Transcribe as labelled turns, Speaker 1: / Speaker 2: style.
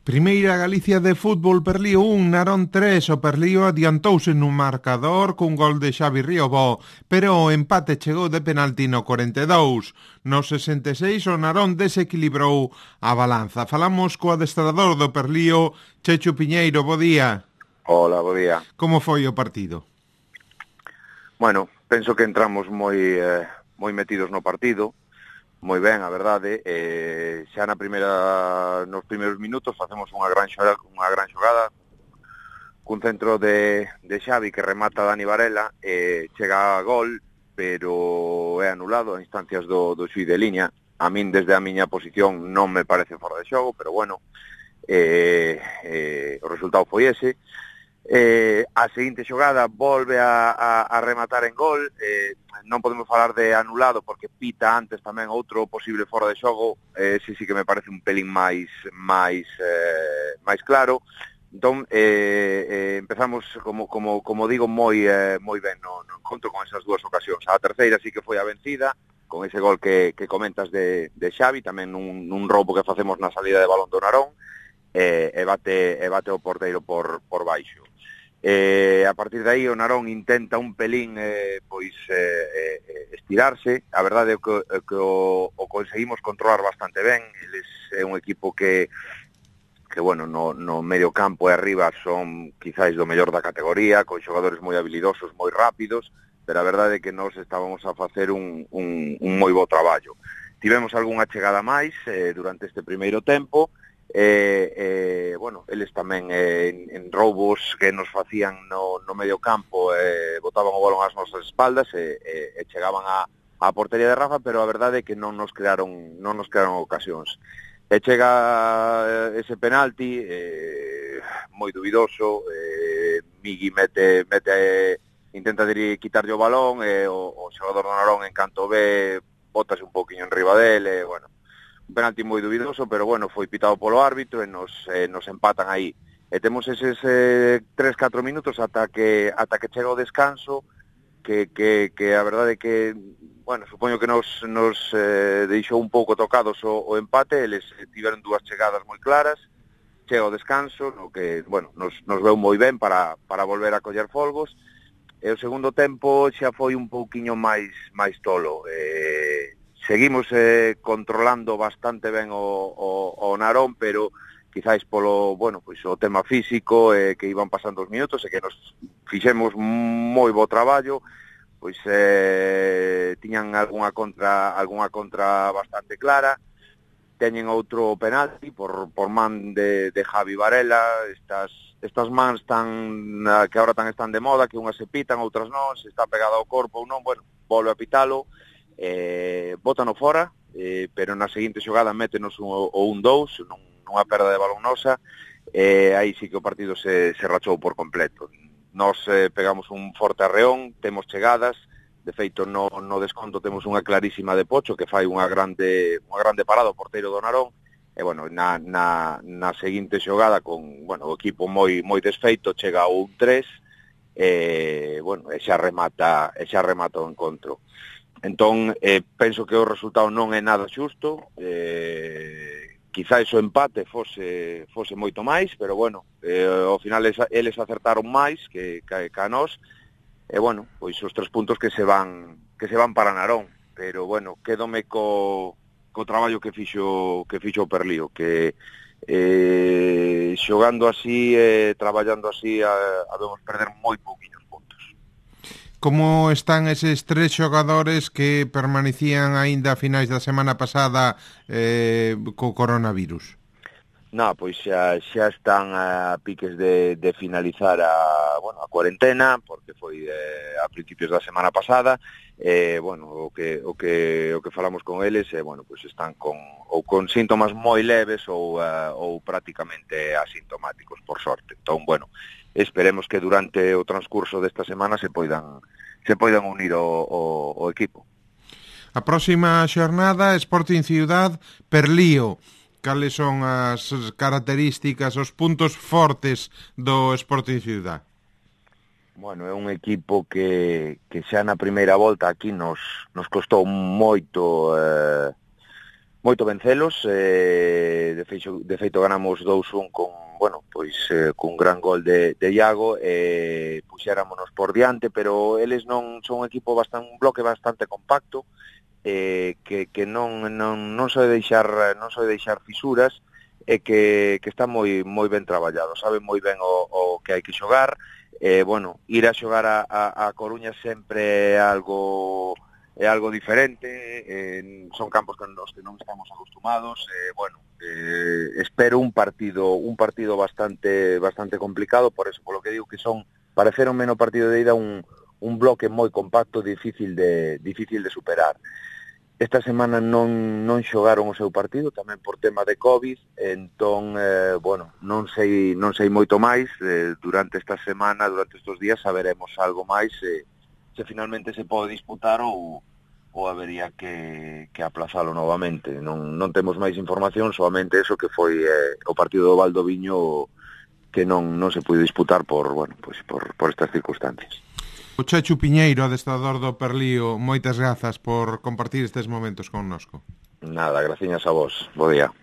Speaker 1: Primeira Galicia de fútbol, Perlío 1, Narón 3. O Perlío adiantouse nun marcador cun gol de Xavi Riobó, pero o empate chegou de penalti no 42. No 66 o Narón desequilibrou a balanza. Falamos co adestrador do Perlío, Chechu Piñeiro. Bo día.
Speaker 2: Hola, bo día.
Speaker 1: Como foi o partido?
Speaker 2: Bueno, penso que entramos moi metidos no partido, moi ben, a verdade. Xa nos primeiros minutos facemos unha gran xogada cun centro de Xavi que remata Dani Varela, chega a gol, pero é anulado a instancias do xuiz de liña. A min, desde a miña posición, non me parece fora de xogo, pero bueno, o resultado foi ese. A seguinte xogada volve a rematar en gol. Non podemos falar de anulado porque pita antes tamén outro posible fora de xogo. Sí que me parece un pelín máis claro. Entón, empezamos, como digo, moi ben no encontro con esas dúas ocasións. A terceira sí que foi a vencida, con ese gol que comentas de Xavi, tamén nun roubo que facemos na salida de balón do Narón, e bate o porteiro por baixo. A partir de aí o Narón intenta un pelín estirarse. A verdade é que o conseguimos controlar bastante ben. Eles é un equipo que bueno, no medio campo e arriba son quizáis do mellor da categoría, con xogadores moi habilidosos, moi rápidos, pero a verdade é que nós estábamos a facer un moi bo traballo. Tivemos algunha chegada máis durante este primeiro tempo. Bueno, eles tamén en roubos que nos facían no medio campo, botaban o balón ás nosas espaldas e chegaban á portería de Rafa, pero a verdade é que non nos crearon ocasións. E chega ese penalti moi dubidoso. Migui intenta quitarlle o balón, e o xogador do Narón, en canto ve, bótase un poquinho enriba dele. Bueno, un penalti moi dubidoso, pero bueno, foi pitado polo árbitro e nos empatan aí. E temos eses 3-4 minutos ata que chega o descanso, que a verdade é que, bueno, supoño que nos deixou un pouco tocados o empate. Eles tiveron dúas chegadas moi claras, chega o descanso, no que, bueno, nos veu moi ben para volver a coller folgos, e o segundo tempo xa foi un pouquiño máis tolo. Seguimos controlando bastante ben o Narón, pero quizáis polo, bueno, pois o tema físico, que iban pasando os minutos e que nos fixemos moi bo traballo. Pois tiñan algunha contra bastante clara. Teñen outro penalti por man de Javi Varela. Estas mans que agora están de moda, que unhas se pitan, outras non, se está pegada ao corpo ou non, bueno, volve a pitalo. Bótano fora, pero na seguinte xogada métenos o 1-2 nunha perda de balón nosa. Aí sí que o partido se rachou por completo. Nos pegamos un forte arreón, temos chegadas. De feito, no desconto temos unha clarísima de Pocho, que fai unha grande parada o porteiro do Narón. E bueno, na seguinte xogada, con, bueno, o equipo moi desfeito, chega o 1-3, bueno, e xa remata o encontro. Entón, penso que o resultado non é nada xusto. Quizáis o empate fose moito máis, pero bueno, ao final eles acertaron máis que a nós. E bueno, pois os 3 puntos que se van para Narón. Pero bueno, quédome co traballo que fixo o Perlío, que xogando así, traballando así, habemos perder moi pouquiños puntos.
Speaker 1: Como están eses 3 xogadores que permanecían aínda a finais da semana pasada co coronavirus?
Speaker 2: Pois xa están a piques de finalizar a cuarentena, porque foi a principios da semana pasada. Bueno, o que falamos con eles, bueno, pois están con síntomas moi leves ou prácticamente asintomáticos, por sorte. Entón, bueno, esperemos que durante o transcurso desta semana se poidan unir o equipo.
Speaker 1: A próxima xornada, Sporting Ciudad, Perlío. Cales son as características, os puntos fortes do Sporting Ciudad?
Speaker 2: Bueno, é un equipo que xa na primeira volta aquí nos costou moito moito vencelos, de feito ganamos 2-1 con, bueno, pois cun gran gol de Iago, puxéramonos por diante, pero eles non son un equipo un bloque bastante compacto, que non soe deixar fisuras, e que está moi ben traballado, sabe moi ben o que hai que xogar. Bueno, ir a xogar a Coruña sempre é algo diferente, son campos nos que non estamos acostumados, espero un partido bastante complicado, por eso, polo que digo que pareceronme no partido de ida un bloque moi compacto, difícil de superar. Esta semana non xogaron o seu partido, tamén por tema de COVID, entón, non sei moito máis, durante esta semana, durante estes días, saberemos algo máis, se finalmente se pode disputar ou habería que aplazalo novamente. Non temos máis información, solamente eso que foi o partido do Valdoviño que non se puido disputar por estas circunstancias.
Speaker 1: O Chechu Piñeiro, adestrador do Perlío, moitas grazas por compartir estes momentos connosco.
Speaker 2: Nada, graciñas a vos. Bo día.